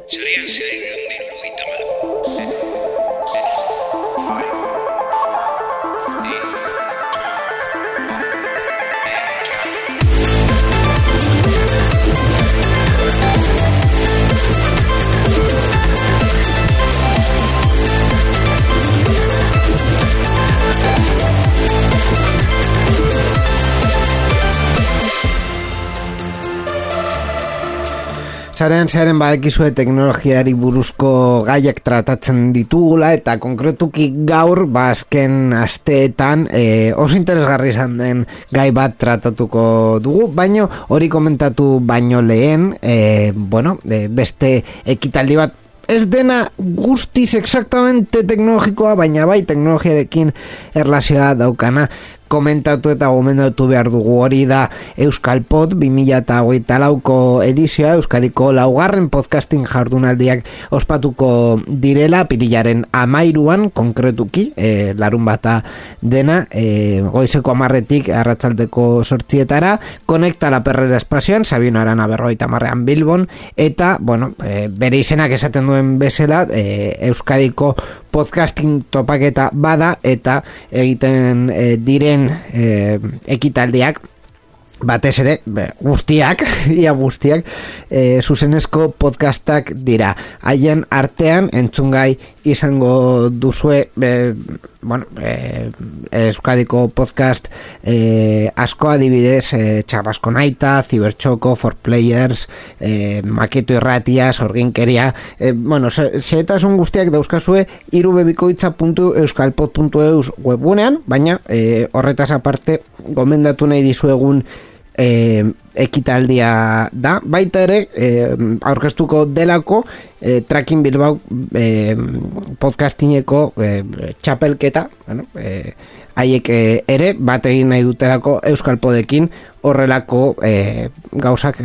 Sarean zehar 334. Sarean badakizue teknologiari buruzko gaiak tratatzen ditugula eta konkretuki gaur azken asteetan oso interesgarri izan den gai bat tratatuko dugu, baino hori komentatu baino lehen beste ekitaldi bat ez dena guztiz exactamente teknologikoa, baina bai teknologiarekin erlazioa daukana komentatu eta gomendatu behar dugu. Hori da Euskalpod 2024ko edizioa, Euskadiko laugarren podcasting jardunaldiak ospatuko direla apirilaren 13an konkretuki, larun bata dena, goizeko 10 arratsaldeko 8 Konekta la Perrera espazioan, Sabino Arana 50 Bilbon, eta bere izenak esaten duen bezala, Euskadiko podcasting topaketa bada eta egiten diren ekitaldiak batez ere guztiak zuzenezko podcastak dira. Haien artean entzungai izango duzue Euskadiko podcast asko, adibidez Txarrasko Naita, Zibertxoko, For Players, Maketo Irratia, Sorginkeria, xehetasun guztiak dauzkazue irubebikoitza.euskalpod.eus webgunean, baina horretaz aparte gomendatu nahi dizuegun ekitaldia da, baita ere aurkeztuko delako Tracking Bilbao podcastineko txapelketa, haiek ere bat egin nahi dutelako Euskalpodekin horrelako gauzak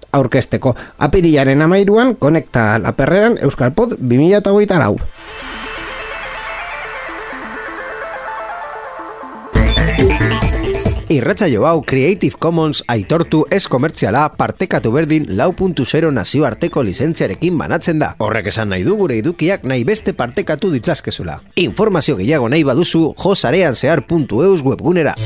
aurkezteko. Apirilaren 13an Konekta la Perreran Euskalpod 2024. Irratsaio hau Creative Commons aitortu ez komertziala partekatu berdin 4.0 nazioarteko lizentziarekin banatzen da. Horrek esan nahi du gure edukiak nahi beste partekatu ditzazkezula. Informazio gehiago nahi baduzu josareanzehar.eus webgunera.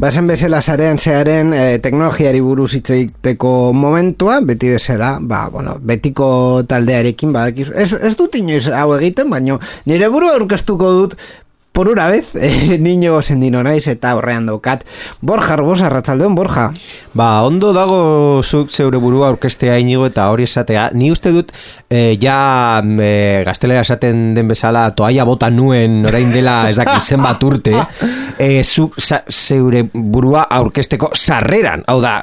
Bazen bezala Sarean zearen teknologiari buruz hitz egiteko momentua, beti bezala, betiko taldearekin badakizu. Ez dut inoiz hau egiten, baina nire burua aurkeztuko dut por una vez, niño sendino naiz eta horrean daukat. Borja Arbosa, arratsaldeon, Borja. Ondo dago zuk zeure burua aurkeztea, Inigo, eta hori esatea. Ni uste dut, gaztelera esaten den bezala, toaia bota nuen orain dela ez dakit zenbat urte, zuk zeure burua aurkezteko sarreran. Hau da,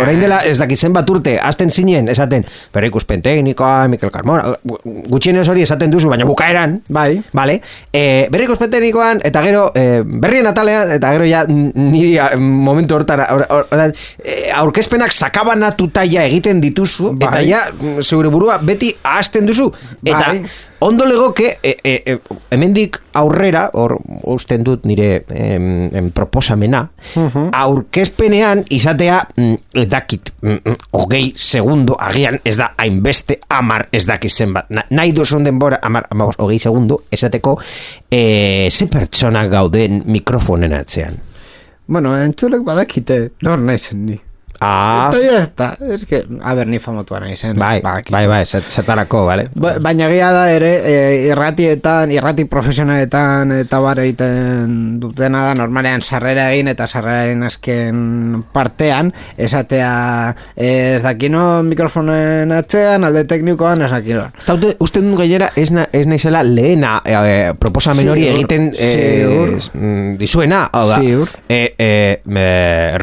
orain dela ez dakit zenbat urte, hasten zinen, esaten, berrikuspen teknikoa, Mikel Carmona, gutxienez hori esaten duzu, baina bukaeran, bai, vale, berrikuspen teknikoan, eta gero berrien atalean, eta gero ja niri momentu hortan aurkezpenak sakabanatuta ja egiten dituzu, eta ja zeure burua beti ahazten duzu, eta ondo legoke hemendik aurrera, hor usten dut nire proposamena, aurkezpenean izatea dakit 20 segundo, agian ez da hainbeste 10 ez dakit zenbat, nahi duzun denbora 20 segundo, esateko ze pertsonak gauden mikrofonen atzean. Entzulek badakite, nor naizen ni. Eta ya está. Es que, a ver, ni famotua nahi zen. Bai, zetarako, vale? Baina egia da ere, irrati profesionaletan eta bar egiten dutena da, normalean sarrera egin eta sarreraren azken partean, esatea ez dakino mikrofonen atzean, alde teknikoan, ez dakino. Uste dut gainera ez naizela lehena proposamen hori egiten dizuena, hau da.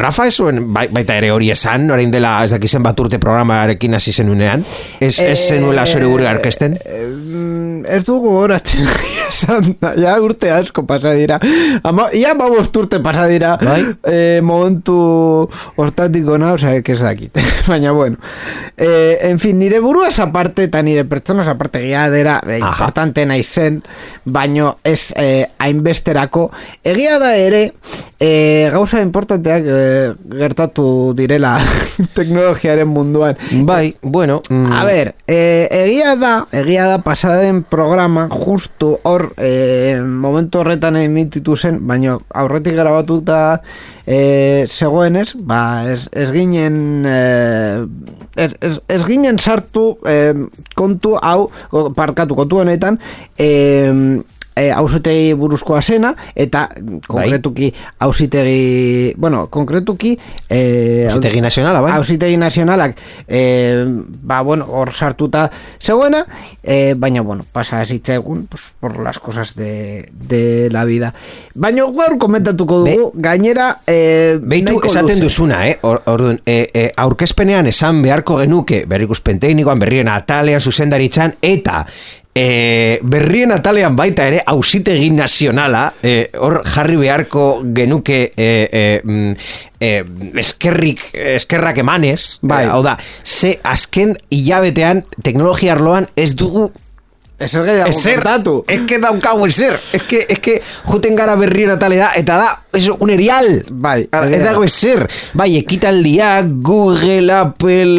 Rafa ez zuen baita ere hori esan, orain dela ez dakizen bat urte programarekin hasi zenunean, ez zenuela zure gure arkesten? Ez dugu horatzen esan, ja urte asko pasa dira, ia babost urte pasa dira, momentu hortatiko na, oza, ez dakit, baina bueno, en fin, nire buruaz aparte eta nire pertsonaz aparte egia dira, importante nahi zen, baino ez hainbesterako, egia da ere, gauza importanteak gertatu direla teknologiaren munduan. Bai, bueno. A ver, egia da pasaden programa justu hor momentu horretan emititu zen, baina aurretik grabatuta zegoenez, ez ginen sartu kontu hau, kontu honetan auzitegi buruzkoa zena, eta konkretuki auzitegi nazionala, bai? Auzitegi nazionalak hor sartuta zegoena, baina pasa zitzaigun por las cosas de la vida. Baina gaur komentatuko dugu, gainera beitu esaten duzuna, orduan, aurkezpenean esan beharko genuke berrikuspen teknikoan, berrien atalean, zuzendaritzan, eta berrien atalean baita ere auzitegi nazionala hor jarri beharko genuke eskerrak emanez, hau da, ze azken hilabetean teknologia arloan ez dugu ezer kontatu. Ez que daukagu ezer. Ez que juten gara berrien atalera eta da, eso, un erial. Bai, ez dago ezer. Bai, ekitaldiak, Google, Apple,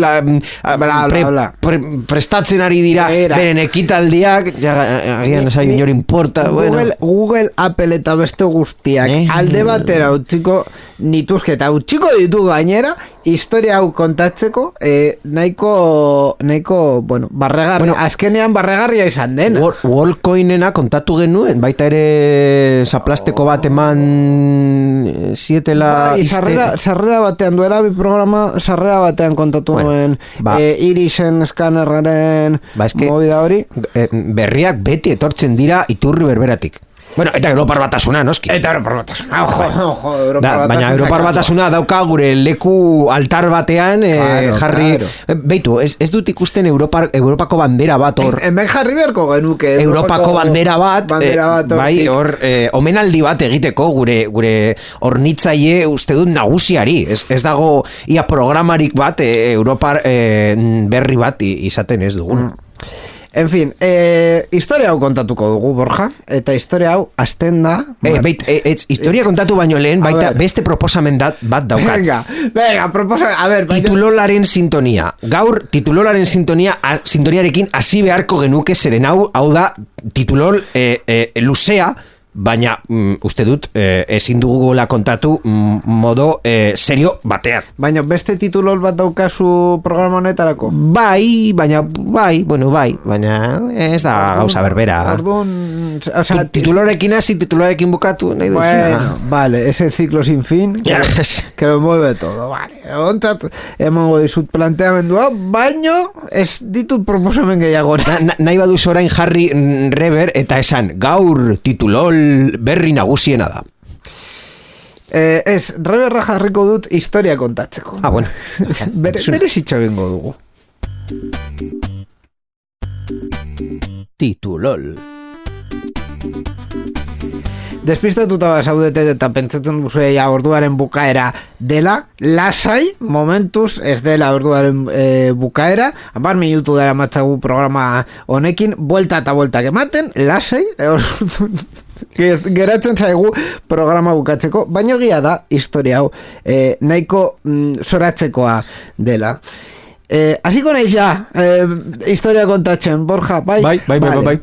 prestatzen ari dira beren ekitaldiak, agian ez ari inor importa. Google, Apple eta beste guztiak alde batera utziko nituzke eta utziko ditu gainera, historia hau kontatzeko nahiko barregarri, azkenean barregarria izan den. Wallcoinena kontatu genuen, baita ere zaplasteko bat eman zietela sarrera batean duela bi programa, sarrera batean kontatu nuen irisen eskanerraren movida hori. Berriak beti etortzen dira iturri berberatik. Bueno, eta Europar Batasuna, noski. Eta Europar Batasuna, baina Europar Batasuna dauka gure leku altar batean jarri... Beitu, ez dut ikusten Europako bandera bat hor... Hemen jarri beharko genuke. Europako bandera bat, bai, hor, omenaldi bat egiteko gure hornitzaile uste dut nagusiari. Ez dago ia programarik bat, Europar berri bat izaten ez dugun. En fin, historia hau kontatuko dugu, Borja, eta historia hau azten da... Historia kontatu baino lehen, baita beste proposamen bat daukat. Venga, proposamen, a ver... Titulolaren sintonia. Gaur, titulolaren sintoniarekin hasi beharko genuke zeren hau da titulol luzea, baina uste dut ezin dugula kontatu modo serio batean. Baina beste titulol bat daukazu programa honetarako? Bai, baina ez da gauza berbera. Titulorekin hasi, titulorekin bukatu nahi duzuna. Bueno, vale, ese ciclo sin fin que lo mueve todo, vale. Ontat, emango dizut planteamendua, baino ez ditut proposamen gehiago. Nahi baduz orain jarri rever eta esan, gaur titulol berri nagusiena da. Ez, reberra jarriko dut historia kontatzeko. Bueno. Bere zitxo egingo dugu. Titulol. Despistatuta zaudete eta pentsatzen duzu orduaren bukaera dela, lasai, momentuz ez dela orduaren bukaera, 10 minutu dara matzagu programa honekin, buelta eta bueltak ematen, lasai, geratzen zaigu programa bukatzeko, baina egia da, historia hau, nahiko zoratzekoa dela. Hasiko naiz ja, historia kontatzen, Borja, bai? Bai.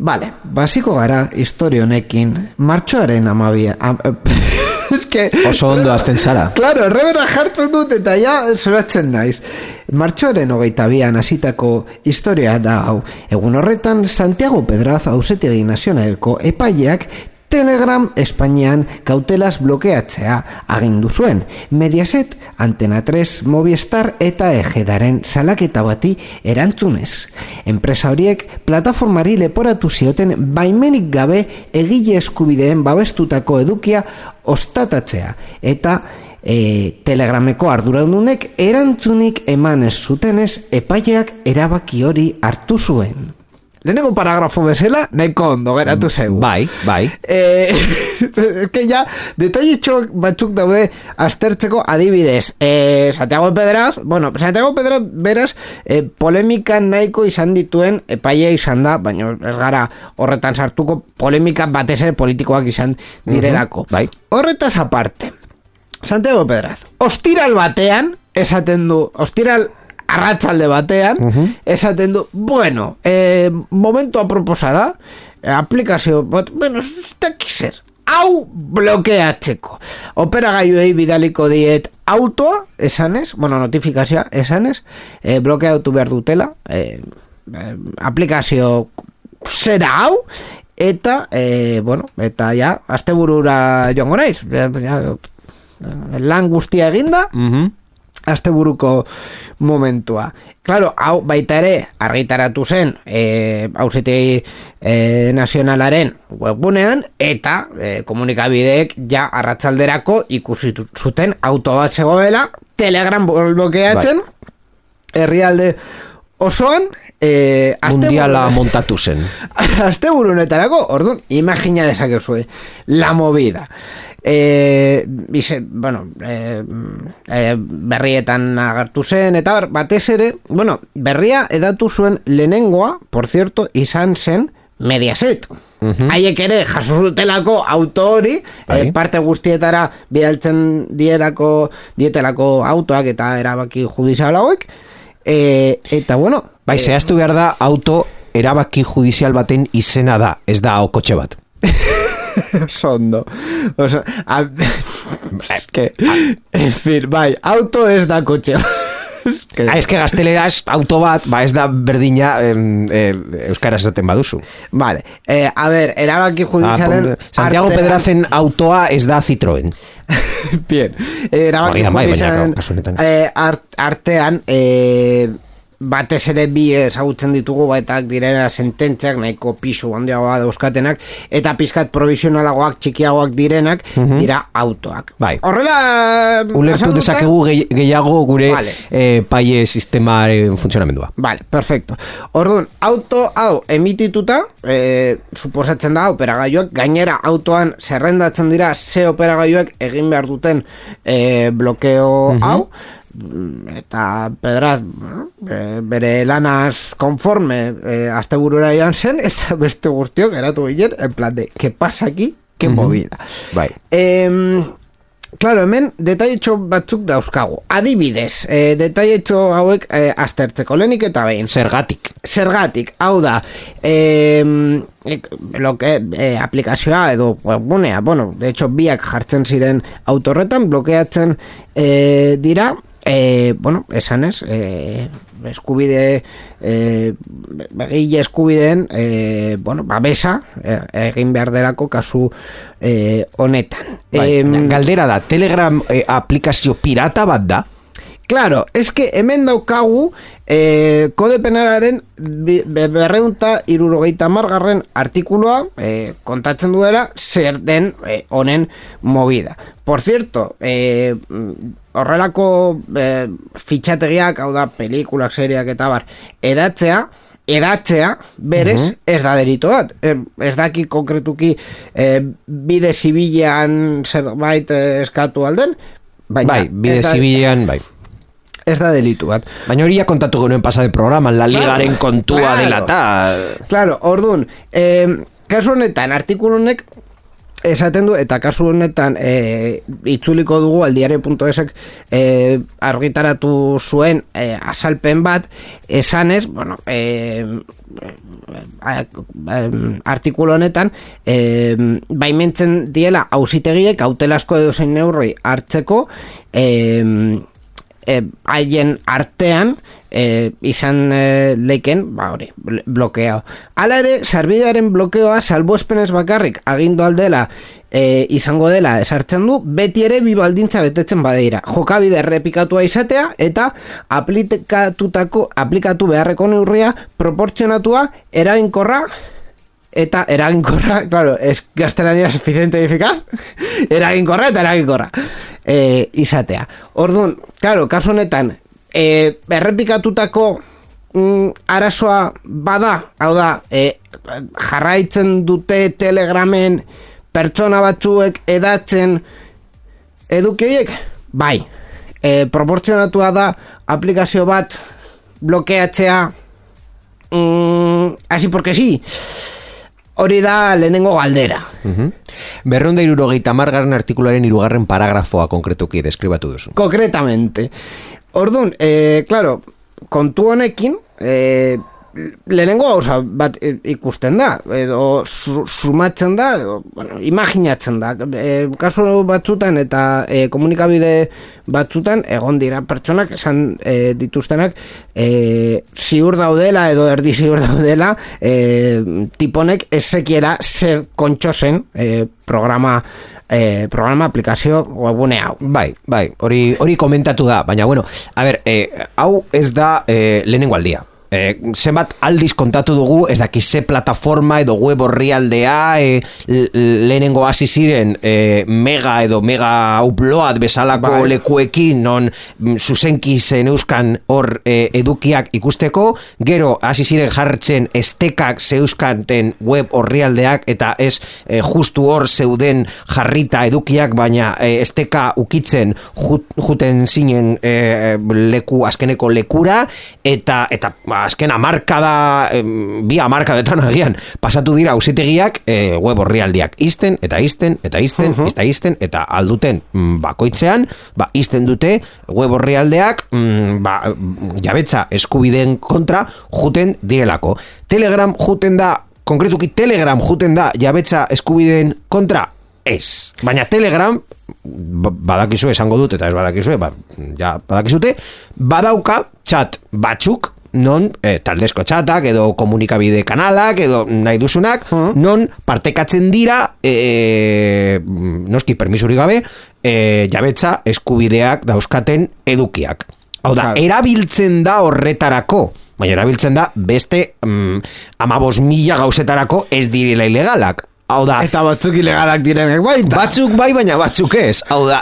Vale, basiko gara historia honekin martxoaren 12 Oso ondo azten zara. Claro, errebera jartzen dut eta ja zoratzen naiz. Martxoaren 22an hasitako historia da hau. Egun horretan, Santiago Pedraz Auzitegi Nazionaleko epaileak Telegram Espainian kautelaz blokeatzea agindu zuen. Mediaset, Antena 3, Movistar eta Ejedaren salaketa bati erantzunez. Enpresa horiek plataformari leporatu zioten baimenik gabe egile eskubideen babestutako edukia ostatatzea eta Telegrameko arduradunek erantzunik eman ez zutenez epaileak erabaki hori hartu zuen. Lehenengo paragrafo bezala, nahiko ondo geratu zaigu. Bai. Que ja, detailetxo batzuk daude aztertzeko adibidez. Santiago Pedraz, beraz, polemika nahiko izan dituen epaia izan da, baina ez gara horretan sartuko polemika batez ere politikoak izan direlako. Bai. Horretaz aparte, Santiago Pedraz, ostiral batean, esaten du, ostiral arratsalde batean, esaten du, bueno, momento aproposada, aplikazio, ez dakizer, hau blokeatzeko. Operagailuei bidaliko diet autoa, esanez, notifikazioa, esanez, blokeatu behar dutela, aplikazio zera hau, eta, eta ja, asteburura joango naiz, lan guztia eginda, asteburuko momentua. Claro, hau baita ere argitaratu zen Auzitegi Nazionalaren webgunean eta komunikabideek ja arratsalderako ikusi zuten auto bat zegoela Telegram blokeatzen herrialde osoan mundiala montatu zen. Asteburu honetarako, orduan, imagina dezakezue la movida. Berrietan agertu zen eta batez ere, berria edatu zuen lehenengoa, por cierto, izan zen Mediaset. Haiek ere jaso zutelako auto hori, parte guztietara bidaltzen dietelako autoak eta erabaki judizial hauek, eta zehaztu behar da auto erabaki judizial baten izena da, ez da kotxe bat. Sondo. En fin, auto ez da kotxe. Ez que gazteleraz auto bat, ez da berdina euskaraz esaten baduzu. Vale, a ver, erabaki judizialen Santiago Pedrazen autoa ez da Citroën. Bien, erabaki judizialen artean batez ere bi ezagutzen ditugu baetak direla sententziak nahiko pisu handiagoa dauzkatenak eta pizkat provisionalagoak txikiagoak direnak dira autoak. Horrela ulertu dezakegu gehiago gure paie sistemaren funtzionamendua. Vale, perfecto. Orduan, auto hau emitituta suposatzen da operagailuak gainera autoan zerrendatzen dira ze operagailuak egin behar duten blokeo hau eta Pedraz bere lanaz konforme asteburura joan zen eta beste guztiok eratu ginen en plan de, ¿qué pasa aquí? ¿Qué movida? Claro, hemen detailetxo batzuk dauzkagu. Adibidez, detailetxo hauek aztertzeko lehenik eta behin. Zergatik, hau da, aplikazioa edo webgunea, de hecho biak jartzen ziren autorretan, blokeatzen dira, esanez, eskubide begile eskubideen babesa egin behar delako kasu honetan. Galdera da, Telegram aplikazio pirata bat da? Claro, es que hemen daukagu kode penalaren 270 artikuloa kontatzen duela zer den honen movida. Por cierto, horrelako fitxategiak, hau da, pelikulak, seriak eta bar, edatzea berez ez da delito bat. Ez daki konkretuki bide zibilean zerbait eskatu alden, bide zibilean, ez da delitu bat. Baina hori kontatu genuen pasade programan, la ligaren kontua dela eta... Claro, orduan, kasu honetan, artikulunek esaten du, eta kasu honetan itzuliko dugu aldiario.esek argitaratu zuen azalpen bat, esanez, bueno, artikulu honetan baimentzen diela auzitegiek kautelasko edozein neurri hartzeko haien artean izan leiken, hori, blokeao. Hala ere, sarbidearen blokeoa salbuespenez bakarrik agindu aldela izango dela esartzen du, beti ere bi baldintza betetzen badeira. Jokabide errepikatua izatea eta aplikatu beharreko neurria proportzionatua, eraginkorra, claro, es gaztelania suficiente eficaz, eraginkorra izatea. Orduan, claro, kasu honetan, errepikatutako arazoa bada, hau da, jarraitzen dute Telegramen pertsona batzuek edatzen edukiek, bai, proportzionatua da aplikazio bat blokeatzea así porque sí. Hori da lehenengo galdera. 270 artikularen 3. paragrafoa konkretuki deskribatu duzu. Concretamente. Orduan, claro, kontu honekin, lehenengo gauza bat ikusten da, edo sumatzen da, edo, bueno, imaginatzen da. Kasu batzutan eta komunikabide batzutan egon dira pertsonak esan dituztenak ziur daudela edo erdi ziur daudela tiponek ezekiela zer kontxo zen programa aplikazio webune hau. Bai, hori komentatu da, baina bueno, a ber, hau ez da lehenengo aldia. Zenbat aldiz kontatu dugu, ez daki ze plataforma edo web orrialdea lehenengo hasi ziren mega edo mega upload bezalako lekuekin non zuzenki zen euskan hor edukiak ikusteko, gero hasi ziren jartzen estekak zeuskanten web orrialdeak eta ez justu hor zeuden jarrita edukiak, baina esteka ukitzen juten zinen azkeneko lekura eta azken amarkada, bi amarkadetan agian pasatu dira auzitegiak web orrialdiak izten eta alduten bakoitzean izten dute web orrialdeak jabetza eskubideen kontra juten direlako. Telegram juten da, konkretuki Telegram juten da jabetza eskubideen kontra? Ez. Baina Telegram, badakizu esango dut eta ez badakizue, ja badakizute, badauka chat batzuk non taldezko txatak edo komunikabide kanalak edo nahi duzunak non partekatzen dira noski permisurik gabe jabetza eskubideak dauzkaten edukiak. Hau da, erabiltzen da horretarako, baina erabiltzen da beste 15.000 gauzetarako ez direla ilegalak. Hau da, eta batzuk ilegalak direnek baita. Batzuk bai, baina batzuk ez. Hau da,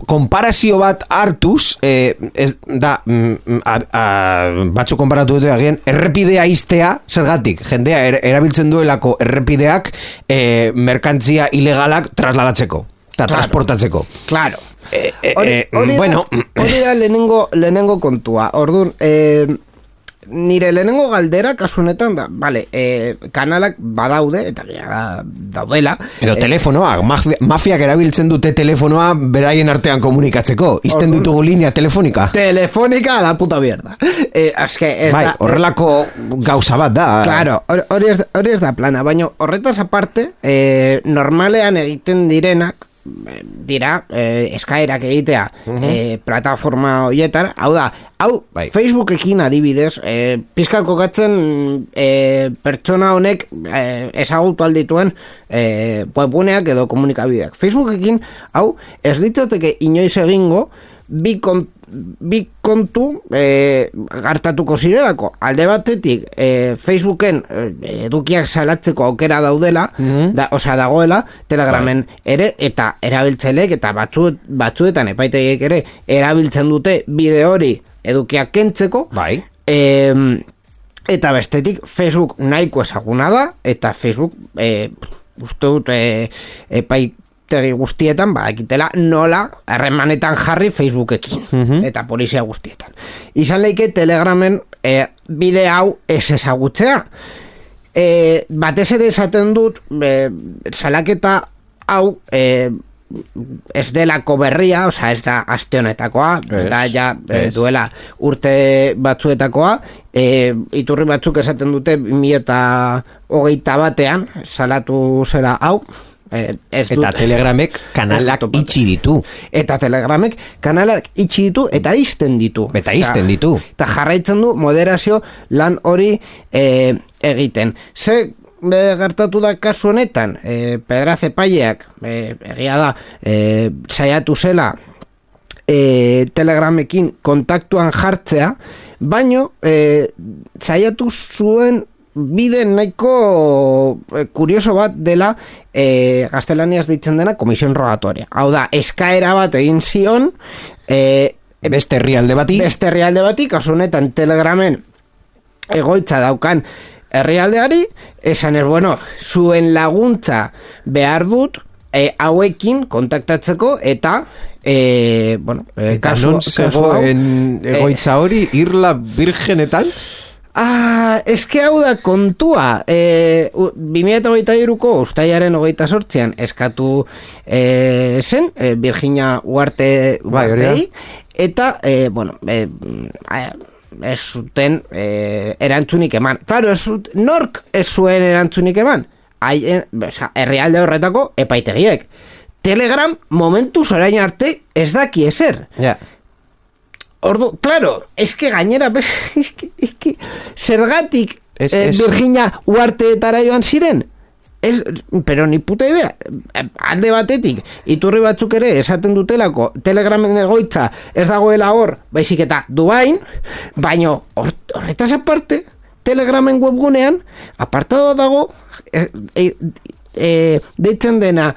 konparazio bat hartuz, ez da, batzuk konparatu dute agian, errepidea iztea, zergatik, jendea erabiltzen duelako errepideak merkantzia ilegalak trasladatzeko, eta transportatzeko. Claro. Hori da lehenengo kontua. Orduan, nire lehenengo galdera kasu honetan da, kanalak badaude eta daudela. Edo telefonoa, mafiak erabiltzen dute telefonoa beraien artean komunikatzeko. Izten ditugu linea telefonika. Telefonika a la puta mierda. Horrelako gauza bat da. Claro, hori ez da plana, baina horretaz aparte, normalean egiten direnak, dira eskaerak egitea plataforma horietan, hau da, Facebookekin adibidez, pizkat kokatzen pertsona honek ezagutu aldituen webguneak edo komunikabideak. Facebookekin, hau, ez ditateke inoiz egingo bi kontu gartatuko zirelako. Alde batetik Facebooken edukiak salatzeko aukera daudela, dagoela Telegramen ere, eta erabiltzaileek eta batzuetan epaitegiek ere erabiltzen dute bideo hori edukiak kentzeko. Eta bestetik Facebook nahiko ezaguna da, eta Facebook uste dut epaitegi guztietan badakitela nola harremanetan jarri Facebookekin eta polizia guztietan. Izan leike Telegramen bide hau ez ezagutzea. batez ere esaten dut, salaketa hau, ez delako berria, osea ez da aste honetakoa, eta ja duela urte batzuetakoa, iturri batzuk esaten dute 2021 salatu zela hau, eta Telegramek kanalak itxi ditu. Eta Telegramek kanalak itxi ditu eta izten ditu. Eta jarraitzen du moderazio lan hori egiten. Ze gertatu da kasu honetan, Pedraz epaileak, egia da, saiatu zela Telegramekin kontaktuan jartzea, baino saiatu zuen bide nahiko kurioso bat dela gaztelaniaz ditzen dena komisión rogatoria. Hau da, eskaera bat egin zion beste herrialde bati, kasu honetan Telegramen egoitza daukan herrialdeari, esan bueno, zuen laguntza behar dut hauekin kontaktatzeko eta eta non zegoen egoitza hori Irla Birgenetan? Eske hau da kontua, 2023ko ustailaren 28an eskatu zen Virginia Uharte eta ez zuten erantzunik eman. Claro, nork ez zuen erantzunik eman? Herrialde horretako epaitegiek. Telegram momentuz orain arte ez daki ezer. Ordu, claro, eske gainera zergatik Virginia Uharteetara joan ziren? Pero ni puta idea. Alde batetik, iturri batzuk ere esaten dutelako Telegramen egoitza ez dagoela hor, baizik eta Dubain, baino horretaz aparte, Telegramen webgunean apartado dago deitzen dena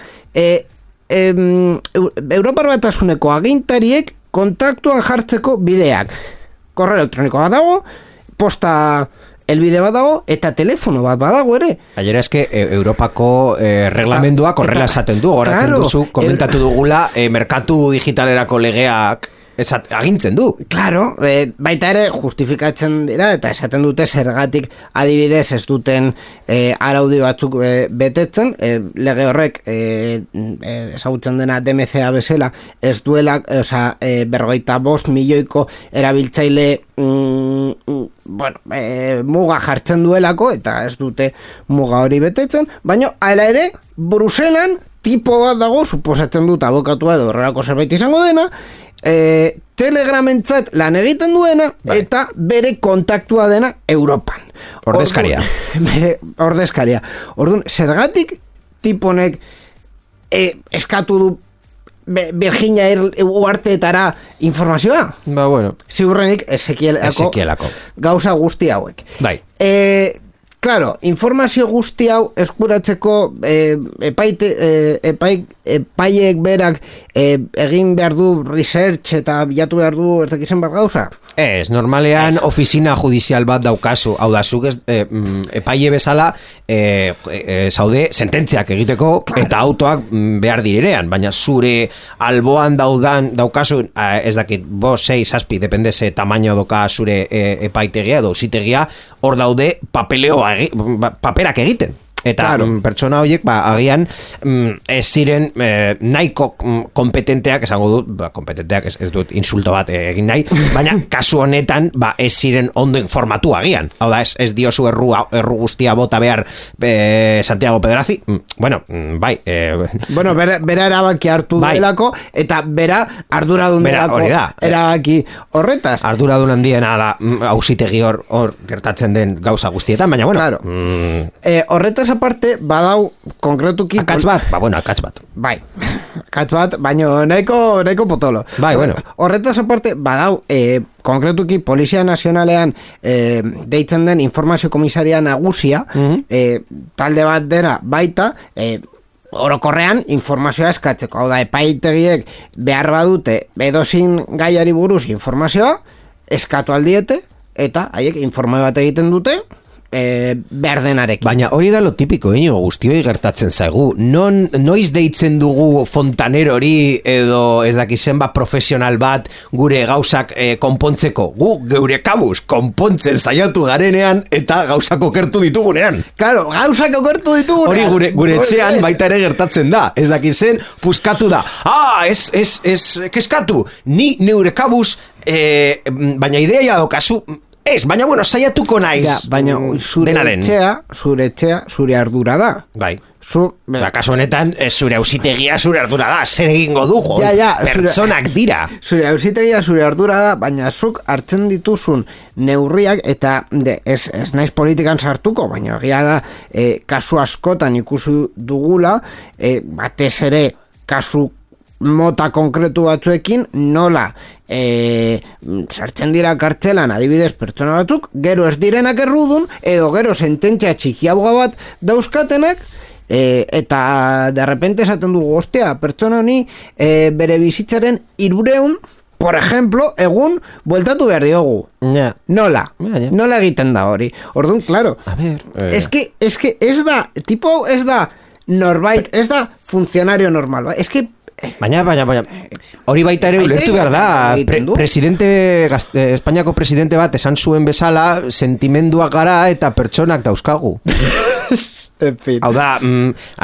Europar Batasuneko agintariek kontaktuan jartzeko bideak. Korreo elektronikoa dago, posta elbide bat dago, eta telefono bat badago ere. Gainera eske Europako reglamendua korrela esaten du, goratzen duzu, komentatu dugula, merkatu digitalerako legeak agintzen du. Claro, baita ere justifikatzen dira, eta esaten dute zergatik adibidez ez duten araudi batzuk betetzen, lege horrek ezagutzen dena DMCA bezala, ez duela, berrogeita 5 milioiko erabiltzaile muga jartzen duelako, eta ez dute muga hori betetzen, baina hala ere, Bruselan tipo bat dago, suposatzen dut abokatua edo horrelako zerbait izango dena, Telegramentzat lan egiten duena, eta bere kontaktua dena Europan. Ordezkaria. Ordezkaria. Orduan, zergatik tiponek eskatu du Virginia Uharteetara informazioa? Ziurrenik Ezekielako gauza guzti hauek. Claro, informazio guzti hau eskuratzeko epaiek berak egin behar du research eta bilatu behar du ez dakizen behar gauza? Ez, normalean ofizina judizial bat daukazu, hau da, zuk epaile bezala zaude sententziak egiteko eta autoak behar direnean, baina zure alboan daukazu, ez dakit, 5, 6, 7, depende ze tamaino doka zure epaitegia edo auzitegia, hor daude paperak egiten. Eta pertsona horiek agian ez ziren nahiko kompetenteak, esango dut, kompetenteak ez dut insulto bat egin nahi, baina kasu honetan ez ziren ondo informatu agian. Hau da, ez diozu erru guztia bota behar Santiago Pedrazi, bai. Bera erabaki hartu delako, eta bera arduradun delako erabaki horretaz. Arduradun handiena da auzitegi hor gertatzen den gauza guztietan, baina horretaz aparte, badau konkretuki... Akats bat? Akats bat. Bai, akats bat, baina nahiko potolo. Horretaz aparte, badau konkretuki Polizia Nazionalean deitzen den informazio komisaria nagusia, talde bat dera baita, orokorrean informazioa eskatzeko. Hau da, epaitegiek behar badute edozin gaiari buruz informazioa, eskatu aldiete, eta haiek informe bat egiten dute, berdenarekin. Baina hori da lo tipiko, guztioi gertatzen zaigu. Noiz deitzen dugu fontanerori edo ez dakizen bat profesional bat gure gauzak konpontzeko. Gu geure kabuz konpontzen saiatu garenean eta gauzak okertu ditugunean. Claro, gauzak okertu ditugunean. Hori gure etxean baita ere gertatzen da. Ez dakizen puskatu da. Keskatu, ni neure kabuz, baina ideia dokazu, baina bueno, saiatuko naiz. Ja, baina zure etxea, zure ardura da. Bai. Kasu honetan, zure auzitegia zure ardura da. Zer egingo dugu? Pertsonak dira. Zure auzitegia zure ardura da, baina zuk hartzen dituzun neurriak, eta ez naiz politikan sartuko, baina egia da, kasu askotan ikusi dugula, batez ere kasu mota konkretu batzuekin nola sartzen dira kartzelan adibidez pertsona batzuk, gero ez direnak errudun, edo gero sententzia txikiagoa bat dauzkatenak, eta de repente esaten dugu, ostia, pertsona honi bere bizitzaren 300, por ejemplo, egun bueltatu behar diogu. Yeah. Nola egiten da hori. Orduan, claro, es que ez da, tipo ez da norbait, ez da funcionario normal, es que Baina, hori baita ere ulertu behar da, Espainiako presidente bat esan zuen bezala, sentimenduak gara eta pertsonak dauzkagu. En fin. Hau da,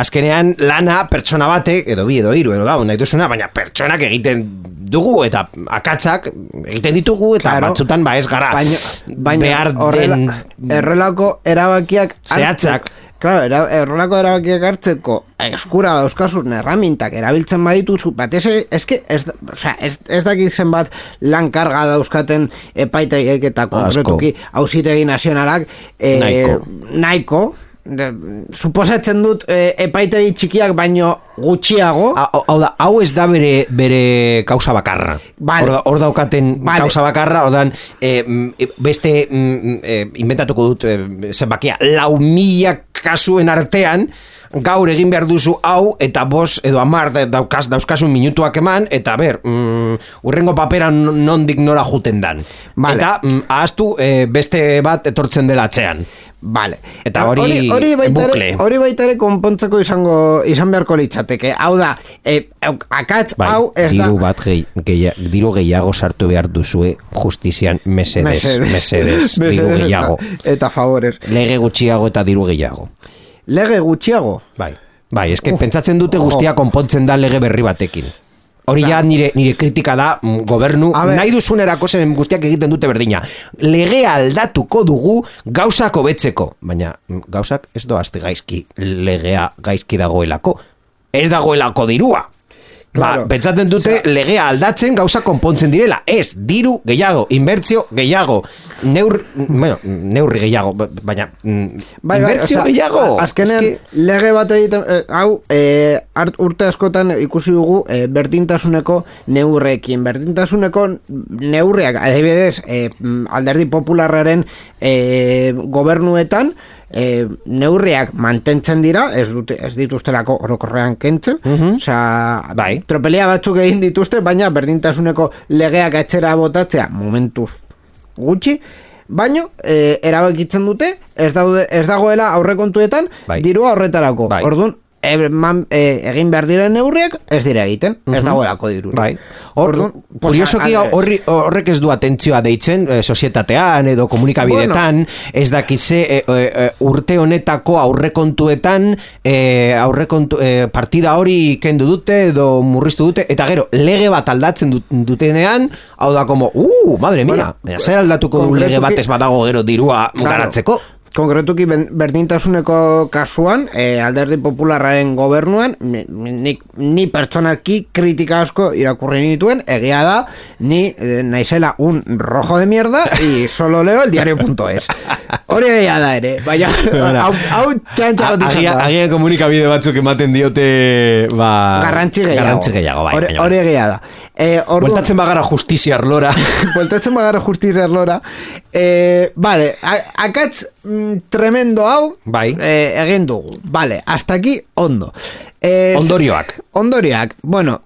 azkenean lana pertsona batek, edo bi, edo hiru, edo da, nahi duzuna, baina pertsonak egiten dugu eta akatzak egiten ditugu eta batzutan ez gara behar den errelako erabakiak zehatzak. Claro, errolako erabakiak hartzeko eskura dauzkasun erramintak erabiltzen badituzu, batez ez dakitzen bat lan karga dauzkaten epaitegiek eta konkretuki auzitegi nazionalak nahiko. Suposatzen dut epaitegi txikiak baino gutxiago. Hau da, hau ez da bere kausa bakarra. Hor daukaten kausa bakarra, ordan beste inventatuko dut zenbakia 4.000 kasuen artean gaur egin behar duzu hau eta 5 edo 10 dauzkasun minutuak eman eta urrengo papera nondik nora juten dan. Eta ahaztu beste bat etortzen dela atzean. Vale. Eta hori bukle. Hori baita ere konpontzeko izan beharko litzateke. Hau da, akatz hau ez da. Diru gehiago sartu behar duzue justizian mesedes. Diru gehiago. Eta favores. Lege gutxiago eta diru gehiago. Lege gutxiago? Bai, eske pentsatzen dute guztia konpontzen da lege berri batekin. Hori ja nire kritika da gobernu, nahi duzunerako zen guztiak egiten dute berdina. Legea aldatuko dugu gauzak hobetzeko, baina gauzak ez doazte gaizki, legea gaizki dagoelako. Ez dagoelako dirua. Pentsatzen dute legea aldatzen gauza konpontzen direla. Ez, diru gehiago, inbertzio gehiago, neurri gehiago, baina inbertzio gehiago. Azkenean, lege bat egiten, hau, urte askotan ikusi dugu berdintasuneko neurrekin. Berdintasuneko neurriak, adibidez, alderdi popularraren gobernuetan, neurriak mantentzen dira, ez dituztelako orokorrean kentzen, tropelia batzuk egin dituzte, baina berdintasuneko legeak etxera botatzea momentuz gutxi, baino erabakitzen dute ez dagoela aurrekontuetan dirua horretarako. Orduan egin behar diren neurriak ez dira egiten, ez dagoelako diru. Kuriosoki horrek ez du atentzioa deitzen sozietatean edo komunikabidetan, ez dakize urte honetako aurrekontuetan partida hori kendu dute edo murriztu dute, eta gero lege bat aldatzen dutenean, hau da como, madre mia, zer aldatuko du lege bat ez badago gero dirua garatzeko? Konkretuki berdintasuneko kasuan, alderdi popularraren gobernuan, ni pertsonalki kritika asko irakurri nituen, egia da, ni naizela un rojo de mierda y solo leo el diario.es. Hori egia da ere, baina hau txantxa bat izan da. Agian komunikabide batzuk ematen diote garrantzi gehiago. Hori egia da. Bueltatzen bagara justizia arlora. Vale, akatz tremendo hau egin dugu. Vale, hasta aquí ondo. Ondorioak, bueno...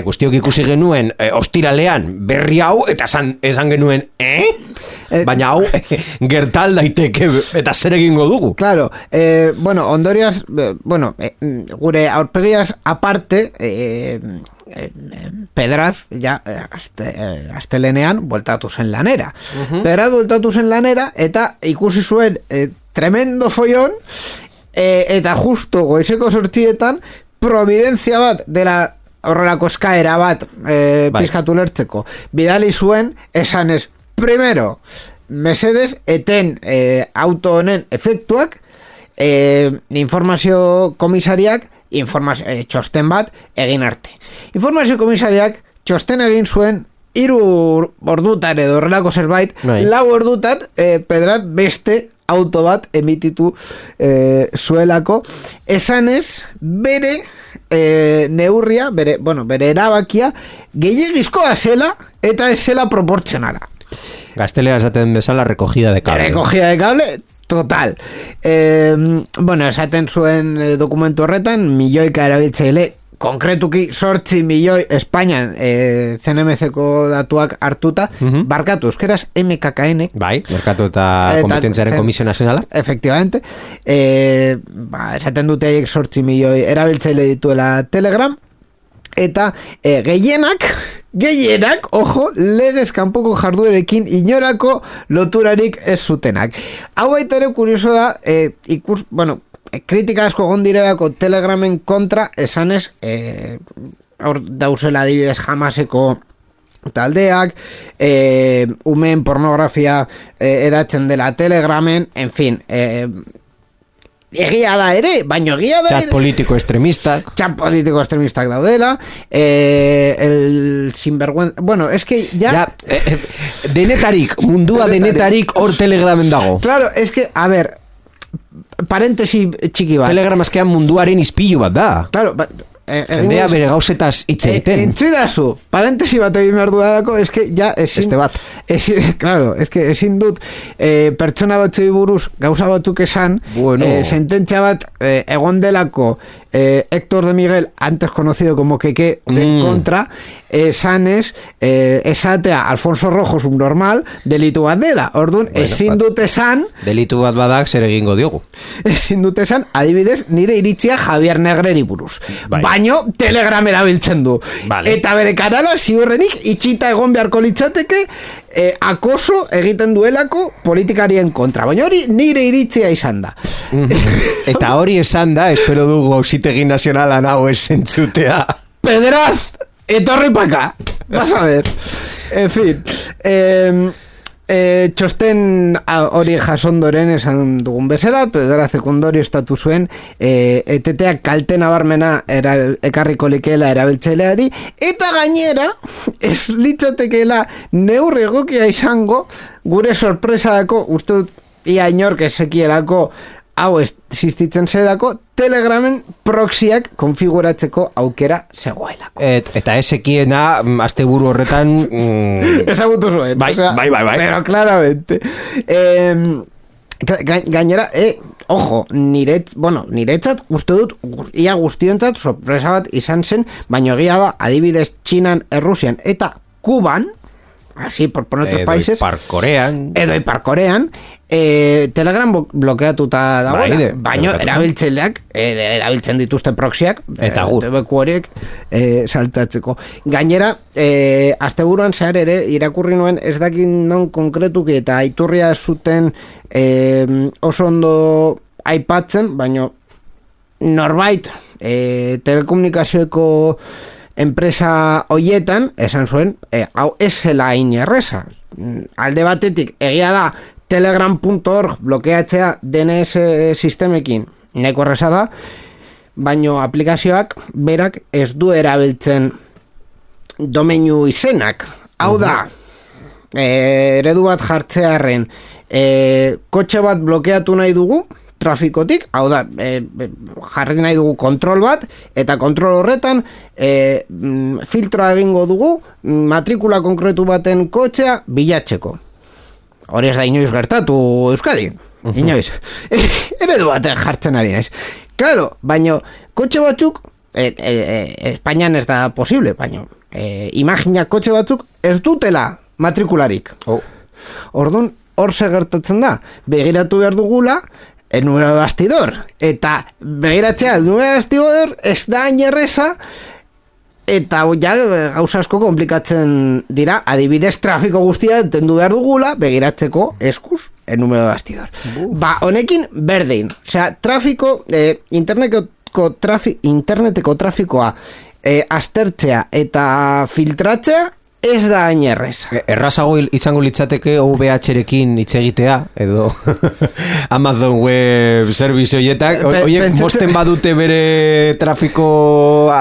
guztiok ikusi genuen ostiralean berri hau, eta esan genuen, baina hau gertal daiteke eta zer egingo dugu. Claro, bueno, ondorioz, gure aurpegiaz aparte, Pedraz, ja, astelenean, bueltatu zen lanera. Pedraz bueltatu zen lanera, eta ikusi zuen tremendo follon, eta justo goizeko sortietan, providentzia bat dela horrelako eskaera bat pizkatu lertzeko. Bidali zuen, esanez, primero, mesedes, eten auto honen efektuak, informazio komisariak, txosten bat egin arte. Informazio komisariak txosten egin zuen 3 ordutan edo horrelako zerbait, 4 ordutan Pedrat beste auto bat emititu zuelako, esanez bere neurria, bere erabakia gehiagizkoa zela eta ez zela proportzionala. Gaztelera esaten bezala recogida de cable. Recogida de cable, total. Esaten zuen dokumentu horretan, milioika erabiltzaile, konkretuki 8 milioi Espainian CNMC-ko datuak hartuta, barkatu, euskeraz MKKN. Bai, barkatu eta kompetentziaren Komisio Nazionala. Efectivamente. Esaten dute haiek 8 milioi erabiltzaile dituela Telegram, eta gehienak, ojo, legez kanpoko jarduerekin inorako loturarik ez zutenak. Hau baita ere kurioso da, kritika asko gondirelako Telegramen kontra, esanez, hor dauzela adibidez Hamaseko taldeak, umeen pornografia edatzen dela Telegramen, en fin, egia da ere, baino egia da Chat politiko extremistak daudela, el sinvergüenza, bueno, es que ya mundua denetarik hor Telegramen dago. Claro, es que, a ver, parentesi txiki bat. Telegram askean munduaren izpilu bat da. Claro, jendea bere gauzetaz hitz egiten. Entzuidazu, parentesi bat egin behar dudarako, eske ja ezin... Claro, eske ezin dut pertsona batzui buruz gauza batzuk esan, sententzia bat egon delako Héctor de Miguel, antes conocido como Keke, en contra, esanez, esatea Alfonso Rojo subnormal, delitu bat dela. Orduan, ezin dut esan... Delitu bat badak zer egingo diogu. Ezin dut esan, adibidez, nire iritzia Javier Negreri buruz. Baino, Telegram erabiltzen du. Eta bere kanala, ziurrenik, itxita egon beharko litzateke, akoso egiten duelako politikarien kontra. Baina hori nire iritzia izan da. Eta hori esan da, espero dugu Auzitegi Nazionalan hau esentzutea. Pedraz, etorri paka. Vas a ver. En fin, txosten hori jasondoren esan dugun bezala, Pedraz sekundorio estatu zuen, eteteak kalte nabarmena ekarriko likeela erabiltzaileari, eta gainera ez litzatekeela neurri egokia izango gure sorpresadako, uste dut ia inork ezekielako hau existitzen zerako, Telegramen proxiak konfiguratzeko aukera zegoelako. Eta ezekiena asteburu horretan ezagutu zuen. Bai. Pero claramente. Gainera, ojo, niretzat uste dut ia guztiontzat sorpresa bat izan zen, baina egia da adibidez Txinan, Errusian eta Kuban, así por otros países, edo Ipar Korean, Telegram blokeatuta dagoela, baina erabiltzen dituzte proxiak eta beku horiek saltatzeko. Gainera, asteburuan zehar ere irakurri nuen, ez dakit non konkretuki eta iturria zuten oso ondo aipatzen, baina norbait telekomunikazioeko enpresa hoietan esan zuen, hau ez zela inerreza. Alde batetik, egia da telegram.org blokeatzea DNS sistemekin nahiko erreza da, baino aplikazioak berak ez du erabiltzen domeinu izenak. Hau da, eredu bat jartzearren, kotxe bat blokeatu nahi dugu trafikotik, hau da, jarri nahi dugu kontrol bat, eta kontrol horretan filtroa egingo dugu matrikula konkretu baten kotxea bilatzeko. Hori ez da inoiz gertatu Euskadin, inoiz. Eredu bat jartzen ari naiz. Claro, baino, kotxe batzuk, Espainian ez da posible, baino, imagina kotxe batzuk ez dutela matrikularik. Orduan, hor gertatzen da, begiratu behar dugula, el número de bastidor. Eta begiratzea, el número de bastidor ez da ainerreza, eta ja gauza asko komplikatzen dira, adibidez trafiko guztia entendu behar dugula, begiratzeko eskuz, el número de bastidor. Ba, honekin berdin. Osea, trafiko, interneteko trafikoa aztertzea eta filtratzea ez da hain erreza. Errazago izango litzateke OVH-rekin hitz egitea, edo Amazon Web Service horietak, horiek mosten badute bere trafiko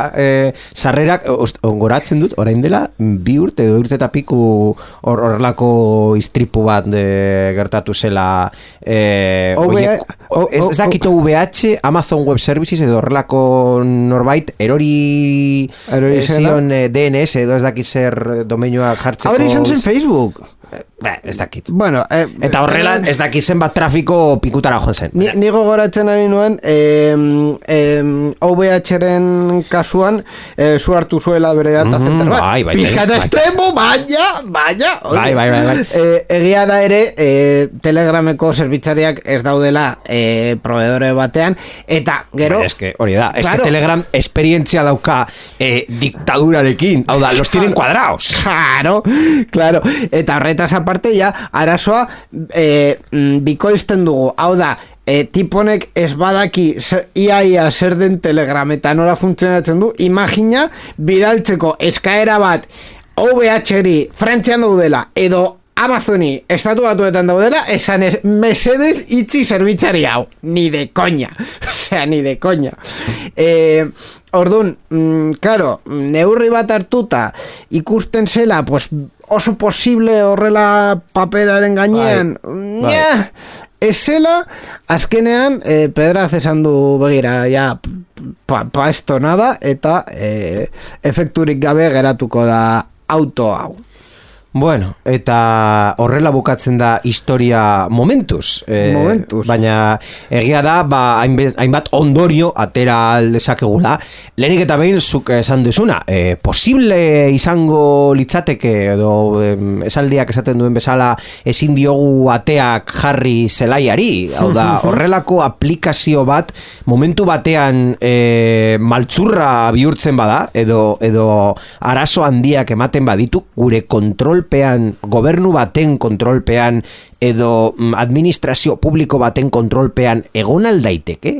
sarrerak, ongoratzen dut, orain dela, 2 urte edo urte eta piku horrelako istripu bat gertatu zela ez dakito OVH, Amazon Web Services edo horrelako norbait erori zion DNS edo ez dakit zer domenioa jartzeko. Ahora izan zen Facebook. Ez dakit. Bueno, eta horrela ez dakit zen bat trafiko pikutara joan zen. Nigo goratzen ari nuen OVH-ren kasuan zu hartu zuela bere data center bat. Bai, Pizkata estremo, baina. Bai. Egia da ere Telegrameko zerbitzariak ez daudela proveedore batean, eta gero... Hori da, claro. Telegram esperientzia dauka diktadurarekin, hau da, los tienen cuadrados. Claro, eta horretaz aparte ja, arazoa bikoizten dugu, hau da, tiponek ez badaki iaia zer den Telegram eta nora funtzionatzen du, imagina bidaltzeko eskaera bat OVH-ri Frantzian daudela edo Amazoni estatu batuetan daudela, esan ez mesedes itzi zerbitzari hau, ni de coña. Osea, ni de coña. Orduan, claro, neurri bat hartuta ikusten zela, pues oso posible horrela paperaren gainean, ez zela, azkenean, Pedraz esan du begira, ja, pa esto nada, eta efekturik gabe geratuko da auto hau. Bueno, eta horrela bukatzen da historia momentuz. Baina egia da, hainbat ondorio atera aldezakegula. Lehenik eta behin zuk esan duzuna, posible izango litzateke, edo esaldiak esaten duen bezala, ezin diogu ateak jarri zelaiari. Hau da, horrelako aplikazio bat, momentu batean maltzurra bihurtzen bada, edo arazo handiak ematen baditu, gure gobernu baten kontrolpean edo administrazio publiko baten kontrolpean egon aldaiteke.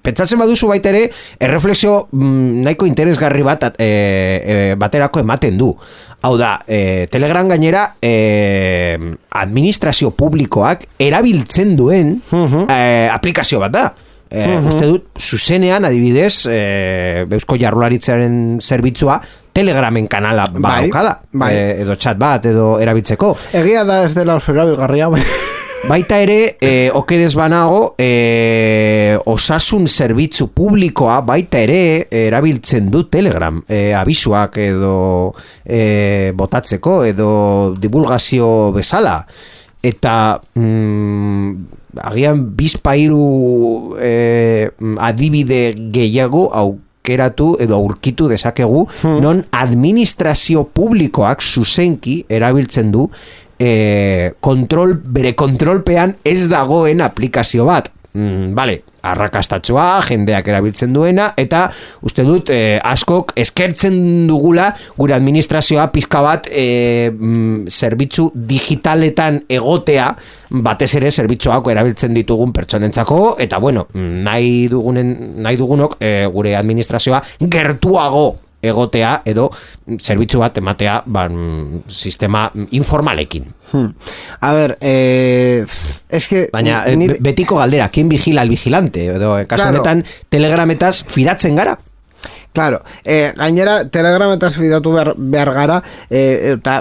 Pentsatzen baduzu baita ere, erreflexio nahiko interesgarri bat baterako ematen du. Hau da, Telegram gainera administrazio publikoak erabiltzen duen aplikazio bat da. Uste dut, zuzenean adibidez Eusko Jaurlaritzaren zerbitzua Telegramen kanala badaukala, edo chat bat edo erabiltzeko. Egia da ez dela oso erabilgarria. Baita ere, okerez banago, osasun zerbitzu publikoa baita ere erabiltzen du Telegram, abisuak edo botatzeko edo divulgazio bezala. Eta agian bizpairu adibide gehiago aukeratu edo aurkitu dezakegu, non administrazio publikoak zuzenki erabiltzen du bere kontrolpean ez dagoen aplikazio bat. Bale, arrakastatsua, jendeak erabiltzen duena, eta uste dut askok eskertzen dugula gure administrazioa pizka bat zerbitzu digitaletan egotea, batez ere zerbitzuak erabiltzen ditugun pertsonentzako, eta bueno, nahi dugunok gure administrazioa gertuago egotea edo zerbitzu bat ematea sistema informalekin. A ver, es que... Baina betiko galdera, ¿quién vigila al vigilante? Edo, kasu honetan, Telegrametaz fidatzen gara? Claro, gainera Telegrametaz fidatu behar gara, eta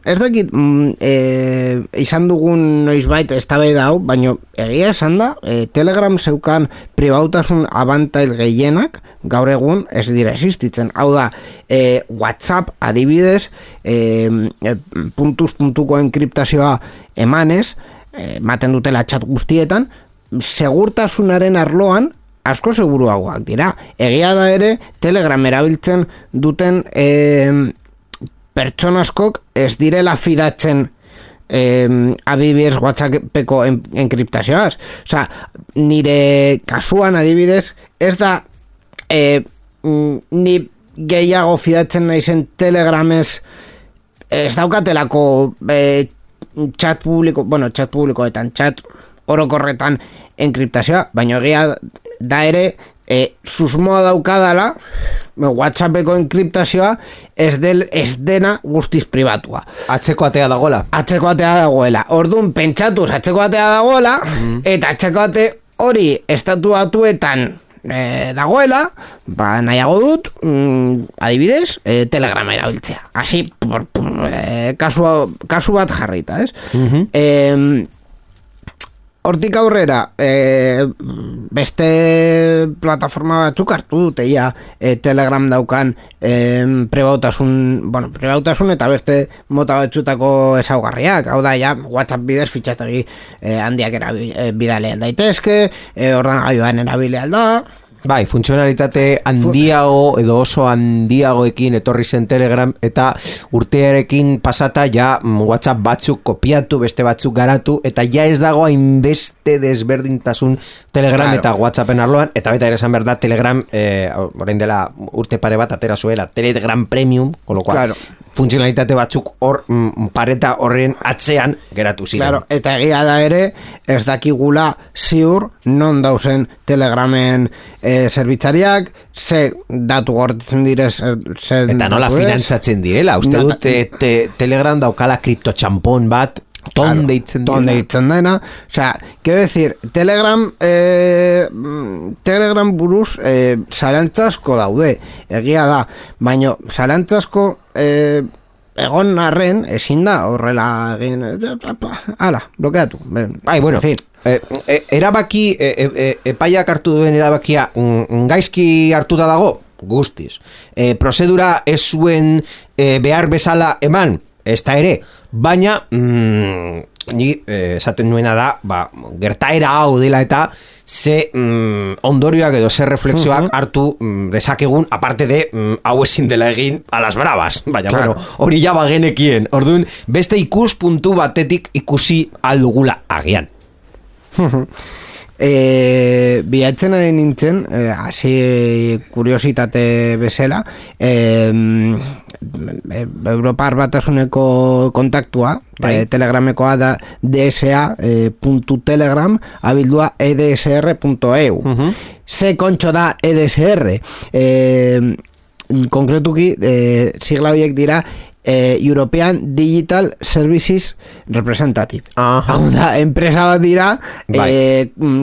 ez dakit izan dugun noizbait eztabaida hau, baina egia esan da, Telegram zeukan pribautasun abantail gehienak, gaur egun ez dira existitzen. Hau da, WhatsApp adibidez, puntuko enkriptazioa emanez, ematen dutela chat guztietan, segurtasunaren arloan asko seguruagoak dira. Egia da ere, Telegram erabiltzen duten pertsonaskok ez direla fidatzen adibidez WhatsAppeko enkriptazioaz. Osea, nire kasuan adibidez, ez da ni gehiago fidatzen naizen Telegramez, ez daukatelako chat publikoetan, chat orokorretan enkriptazioa, baina egia da ere, susmoa daukadala WhatsAppeko enkriptazioa ez dena guztiz pribatua. Atzeko atea dagoela. Orduan pentsatuz atzeko atea dagoela, eta atzeko ate hori estatu batuetan dagoela, nahiago dut, adibidez, Telegrama erabiltzea. Hasi, kasu bat jarrita, ez? Hortik aurrera, beste plataforma batzuk hartu dute ja Telegram daukan prebautasun eta beste mota batzutako ezaugarriak. Hau da, ja, WhatsApp bidez fitxategi handiak bidale aldaitezke, ordenagailuan erabile alda. Bai, funtzionalitate handiago edo oso handiagoekin etorri zen Telegram eta urtearekin pasata ja WhatsApp batzuk kopiatu, beste batzuk garatu eta ja ez dago hainbeste desberdintasun Telegram eta WhatsAppen arloan, eta baita ere esan behar da Telegram, orain dela urte pare bat atera zuela Telegram Premium, con lo cual funtzionalitate batzuk hor pareta horren atzean geratu ziren. Claro, eta egia da ere ez dakigula ziur non dauzen Telegramen zerbitzariak, ze datu gordetzen direz eta nola finantzatzen direla, uste dut Telegram daukala kriptotxampon bat ton deitzen dena, osea, quiero decir, Telegram buruz zalantzazko daude, egia da, baina zalantzazko egon arren ezin da horrela egin, blokeatu. Bai, bueno, en fin. Erabaki, epaiak hartu duen erabakia gaizki hartuta dago, guztiz. Prozedura ez zuen behar bezala eman, ez da ere, baina ni esaten nuena da, gertaera hau dela eta ze ondorioak edo ze reflexioak hartu dezakegun, aparte de hau ezin dela egin a las bravas, baina bueno, hori ja bagenekien, orduan beste ikuspuntu batetik ikusi aldugula agian. Bilatzen ari nintzen, hasi kuriositate bezala, Europar Batasuneko kontaktua, Telegramekoa da dsa.telegram abildua edsr.eu. Ze kontxo da EDSR? Konkretuki, sigla horiek dira European Digital Services Representative. Hau da, enpresa bat dira,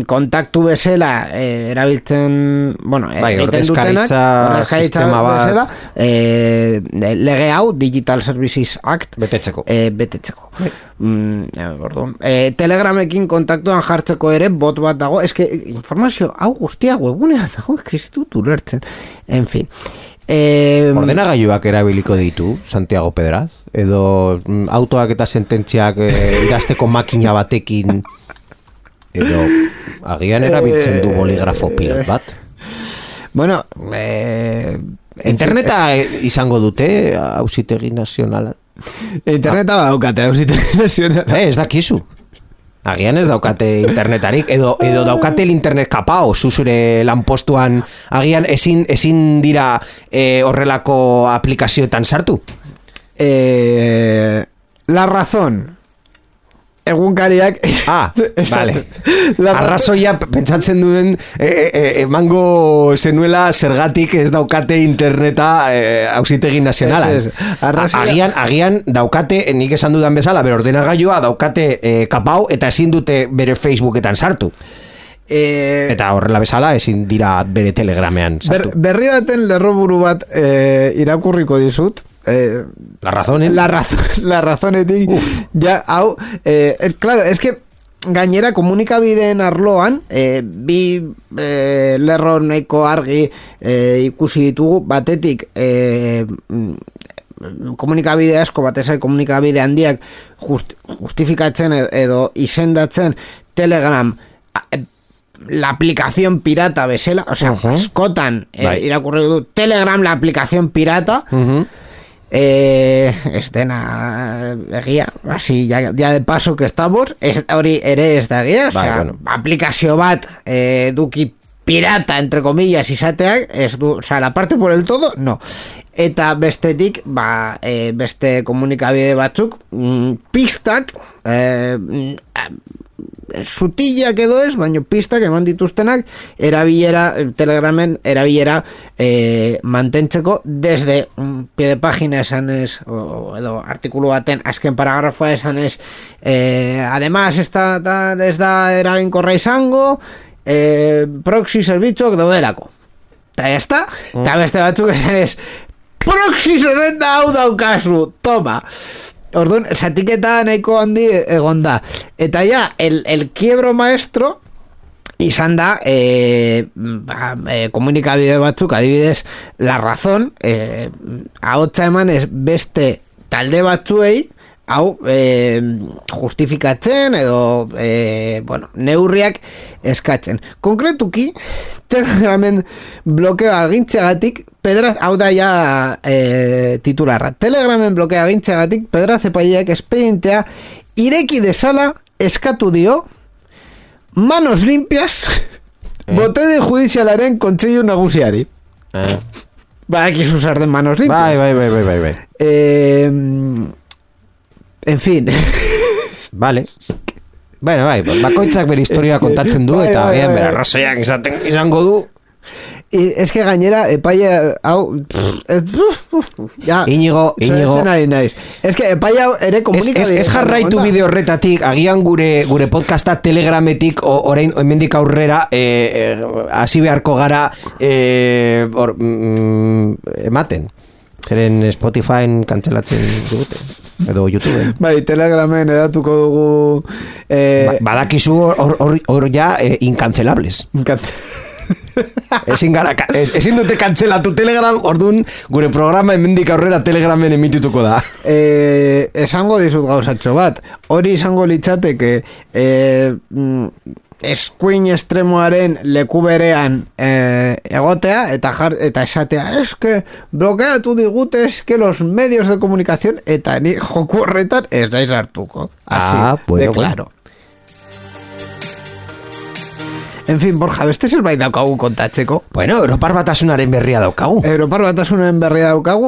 kontaktu bezala erabiltzen, egiten dutenak, ordezkaritza bezala, lege hau, Digital Services Act, betetzeko. Telegramekin kontaktuan jartzeko ere bot bat dago, eske informazio hau guztia webunean dago, kristitutu lertzen, en fin. Ordenagailuak erabiliko ditu Santiago Pedraz, edo autoak eta sententziak idazteko makina batekin, edo agian erabiltzen du boligrafo pilot bat. Bueno, interneta izango dute Auzitegi Nazionala. Interneta daukate Auzitegi Nazionala. Ez dakizu. Agian ez daukate internetarik, edo daukate el internet kapao, zuzure lanpostuan, agian ezin dira horrelako aplikazioetan sartu? La razón. Egunkariak vale. Arrazoia pentsatzen duen emango zenuela zergatik ez daukate interneta Auzitegi Nazionala. Agian daukate, nik esan dudan bezala, bere ordenagailua daukate kapau eta ezin dute bere Facebooketan sartu. Eta horrela bezala ezin dira bere Telegramean sartu. Berri baten lerroburu bat irakurriko dizut. La razonetik ja, hau claro, es que gainera komunikabideen arloan bi lerro nahiko argi ikusi ditugu, batetik komunikabide asko, batez komunikabide handiak justifikatzen edo izendatzen Telegram la aplicación pirata bezala, o sea, askotan irakurri du Telegram la aplicación pirata. ez dena egia, así ya de paso que estamos, hori ere ez da egia, Bai, bueno. aplikazio bat duki pirata, entre comillas, izateak, ez du, la parte por el todo, no. Eta bestetik, beste komunikabide batzuk, pistak, sutillak edo ez, baina pistak eman dituztenak Telegramen erabilera mantentzeko desde pie de página esanez edo artikulu baten azken paragrafoa esanez además ez da eraginkorra izango proxy zerbitzuak daudelako eta ya está, eta beste batzuk esanez proxy zerrenda hau daukazu, toma. Orduan, zatiketa nahiko handi egon da. Eta ja, el quiebro maestro izan da komunikabide batzuk, adibidez, La Razón, ahotsa emanez beste talde batzuei, hau justifikatzen edo neurriak eskatzen. Konkretuki, Telegramen blokeo agintzeagatik hau da ja titularra. Telegramen blokea agintzeagatik Pedraz epaileak espedientea ireki desala eskatu dio manos limpias botere judizialaren kontseilu nagusiari. Badakizu zer den manos limpias. Bai. En fin. Vale. Bueno, bakoitzak bere historia kontatzen du eta agian bere arrazoiak izango du. Es que gainera epaia hau ya Iñigo es que epaia hau ere komunikabide ez jarraitu bide horretatik agian gure podcasta Telegrametik orain hemendik aurrera hasi beharko gara ematen zeren Spotifyn kantzelatzen dute edo YouTube bai, Telegramen edatuko dugu badakizu hor ja incancelables ezin dute kantzelatu Telegram, orduan gure programa hemendik aurrera Telegramen emitituko da. Esango dizut gauzatxo bat, hori izango litzateke eskuin estremoaren leku berean egotea eta esatea, eske blokeatu digute eske los medios de comunicación eta ni joku horretan ez daiz hartuko. Bueno, claro. En fin, Borja, beste zerbait daukagu kontatzeko. Bueno, Europar Batasunaren berria daukagu.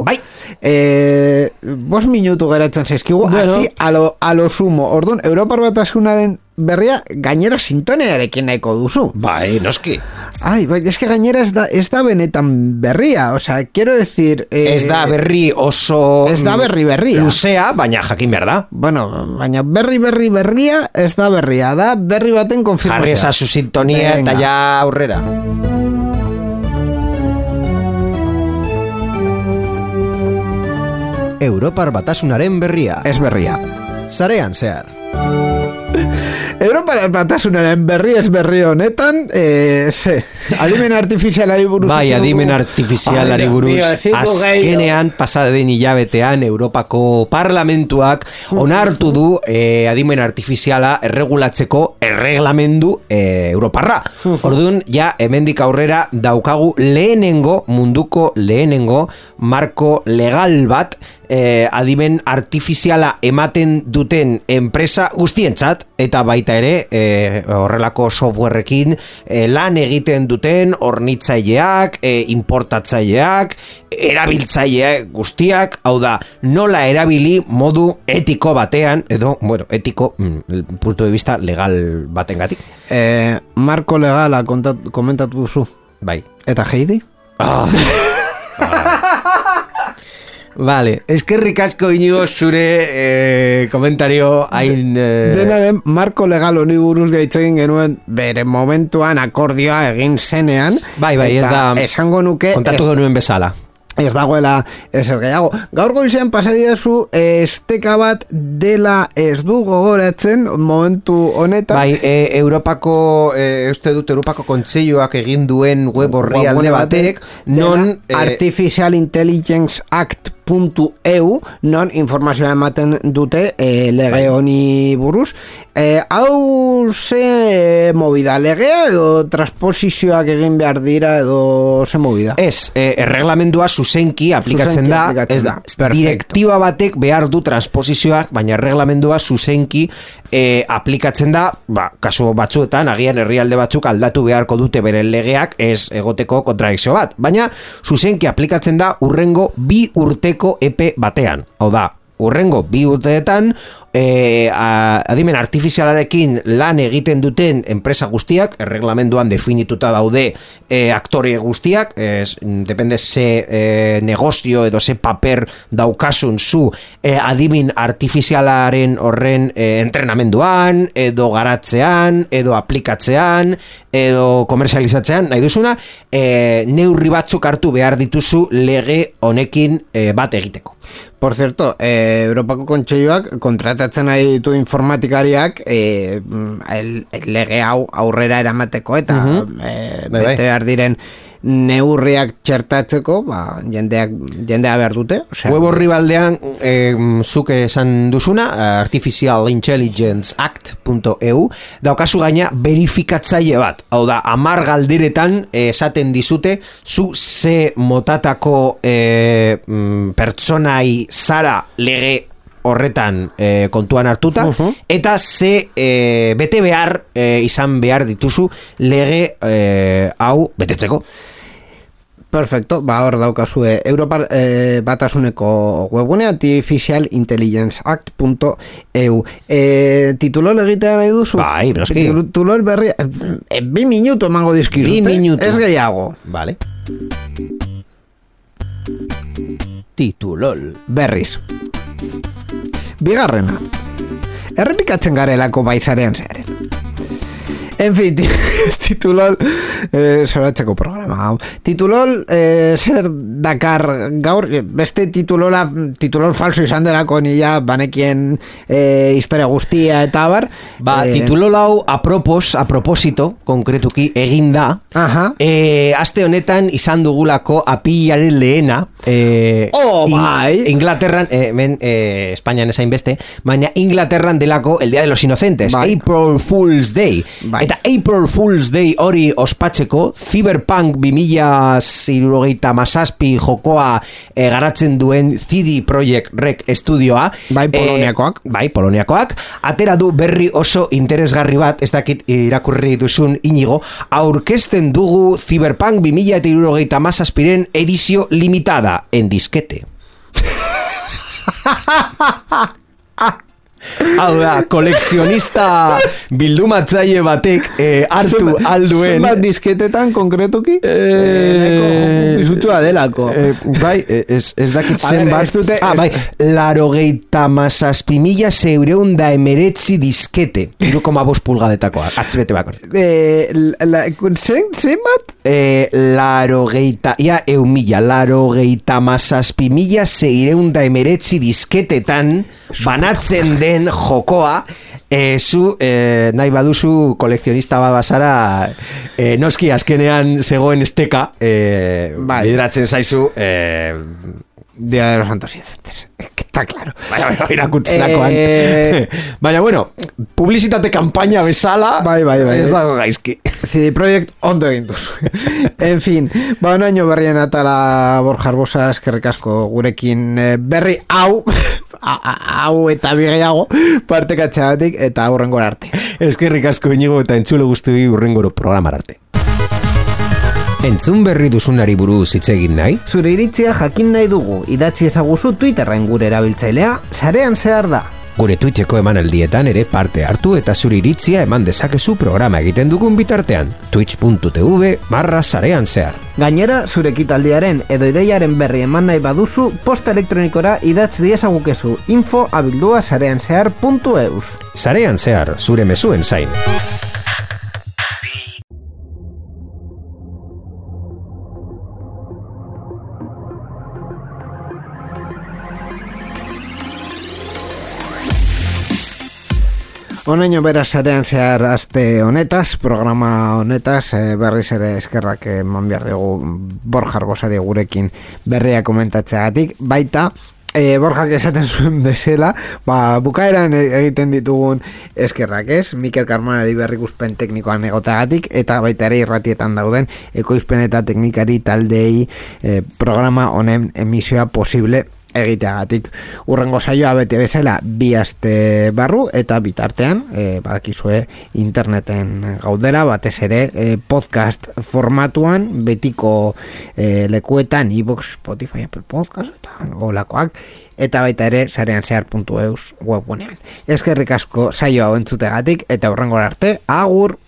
Bai. 5 minutu geratzen zaizkigu, bueno. Así a lo sumo. Orduan, Europar Batasunaren berria gainera sintonearekin nahiko duzu. Bai, noski. Ai, bai, es que gainera ez da benetan berria, o sea, quiero decir... ez da berri oso... Ez da berria. Luzea, baina jakin behar da. Bueno, baina berria ez da berria, da berri baten konfirmazioa. Jarri esa su sintonia eta ja aurrera. Europar Batasunaren berria. Ez berria. Sarean zehar. Europar Batasunaren berri ez berri honetan, adimen artifizialari buruz. Bai, adimen artifizialari buruz. Azkenean, pasaden hilabetean, Europako Parlamentuak onartu du adimen artifiziala erregulatzeko erreglamendu Europarra. Orduan, ja, hemendik aurrera daukagu munduko lehenengo marko legal bat adimen artifiziala ematen duten enpresa guztientzat eta baita ere horrelako softwareekin lan egiten duten hornitzaileak, importatzaileak, erabiltzaileak guztiak, hau da, nola erabili modu etiko batean, edo, bueno, etiko, punto de vista legal batengatik. Marko legala komentatu duzu. Bai. Eta Heidi? Vale, eskerrik asko Iñigo zure komentario hain... Dena den, marko legal honi buruz deitzen genuen bere momentuan akordioa egin zenean. Bai, ez da... Esango nuke... Kontatu genuen bezala. Ez dagoela ezer gehiago. Gaur goizean pasadiazu esteka bat dela ez du gogoratzen momentu honetan. Bai, Europako Kontseiluak egin duen web orrialde batek non Artificial Intelligence Act .eu non informazioa ematen dute lege honi buruz. Hau ze movida, legea edo transposizioak egin behar dira edo ze movida? Ez, erreglamendua zuzenki aplikatzen da, ez da, direktiba batek behar du transposizioak, baina erreglamendua zuzenki aplikatzen da, kasu batzuetan, agian herrialde batzuk aldatu beharko dute beren legeak, ez egoteko kontradikzio bat, baina zuzenki aplikatzen da urrengo 2 urteko epe batean, hau da, urrengo 2 urteetan adimen artifizialarekin lan egiten duten enpresa guztiak, erreglamenduan definituta daude aktore guztiak, depende ze negozio edo ze paper daukasun zu adimen artifizialaren horren entrenamenduan, edo garatzean, edo aplikatzean, edo komerzializatzean, nahi duzuna, neurri batzuk hartu behar dituzu lege honekin bat egiteko. Por cierto, Europako Kontseiluak kontratatzen ari ditu informatikariak lege hau aurrera eramateko eta bete behar diren neurriak txertatzeko, jendea behar dute. Web horri baldean, zuk esan duzuna, artificialintelligenceact.eu, daukazu gaina verifikatzaile bat. Hau da, 10 galderetan esaten dizute, zu ze motatako pertsonai zara lege horretan kontuan hartuta, eta ze bete behar izan behar dituzu lege hau betetzeko. Perfecto, hor daukazue Europa batasuneko webgune artificialintelligenceact.eu. Titulol egitea nahi duzu? Bai, beroski. Titulol berri 2 minutu emango dizkizute. 2 minutu. Ez gehiago. Vale. Titulol. Berriz. Bigarrena. Errepikatzen garelako baizarean zearen. En fin, titulol zoratzeko programa. Titulol zer dakar gaur, beste titulol falso izan delako nila banekien historia guztia eta bar. Titulol hau a proposito, konkretuki, eginda. Aste honetan izan dugulako apilaren lehena. Inglaterran, Espainian esain beste, baina Inglaterran delako el Día de los Inocentes, April Fool's Day. Eta April Fool's Day hori ospatzeko, Cyberpunk 2077 jokoa garatzen duen CD Projekt Rec Studioa, Poloniakoak, atera du berri oso interesgarri bat, ez dakit irakurri duzun Inigo, aurkezten dugu Cyberpunk 2077 edizio limitada en disquete. Hau da, kolekzionista bildumatzaile batek hartu alduen. Zenbat disketetan konkretuki? Bizutua delako. Bai, ez dakit zenbat. €87.619 diskete. 3,5 pulgadetakoa, atzbete bako. Zenbat? 87.619 disketetan banatzen den jokoa, zu nahi baduzu kolekzionista bat bazara, noski azkenean zegoen esteka, bideratzen zaizu Día de los Santos Inocentes. Está claro. Irakurtzenakoan. Baina, bueno, publizitate kampaina bezala, ez dago gaizki. CD Projekt ondo egin duzu. En fin, naino berrien atala Borja Arbosa, eskerrik asko gurekin berri hau eta bigeiago partekatzeagatik eta hurrengora arte. Eskerrik asko Inigo eta entzule guztioi hurrengoro programar arte. Entzun berri duzunari buruz hitz egin nahi? Zure iritzia jakin nahi dugu, idatzi ezaguzu Twitterren gure erabiltzailea, sarean zehar da. Gure Twitcheko emanaldietan ere parte hartu eta zure iritzia eman dezakezu programa egiten dugun bitartean. twitch.tv/sarean zehar. Gainera, zure ekitaldiaren edo ideiaren berri eman nahi baduzu, posta elektronikora idatz diezagukezu info@sareanzehar.eus. Sarean zehar, zure mezuen zain. Honeño beraz sarean zehar aste honetaz, programa honetaz, berriz ere eskerrak eman behar dugu Borja Arbosari gurekin berria komentatzeagatik, baita Borjak esaten zuen bezala, bukaeran egiten ditugun eskerrak ez, Mikel Karmonari berrikuspen teknikoan egoteagatik, eta baita ere irratietan dauden ekoizpen eta teknikari taldei programa honen emisioa posible egiteagatik. Urrengo saioa bete bezala 2 aste barru eta bitartean badakizue interneten gaudera, batez ere podcast formatuan betiko lekuetan iVoox, Spotify, Apple Podcast eta olakoak, eta baita ere sarean zehar.eus webgunean. Eskerrik asko saioa entzutegatik eta urrengo arte, agur!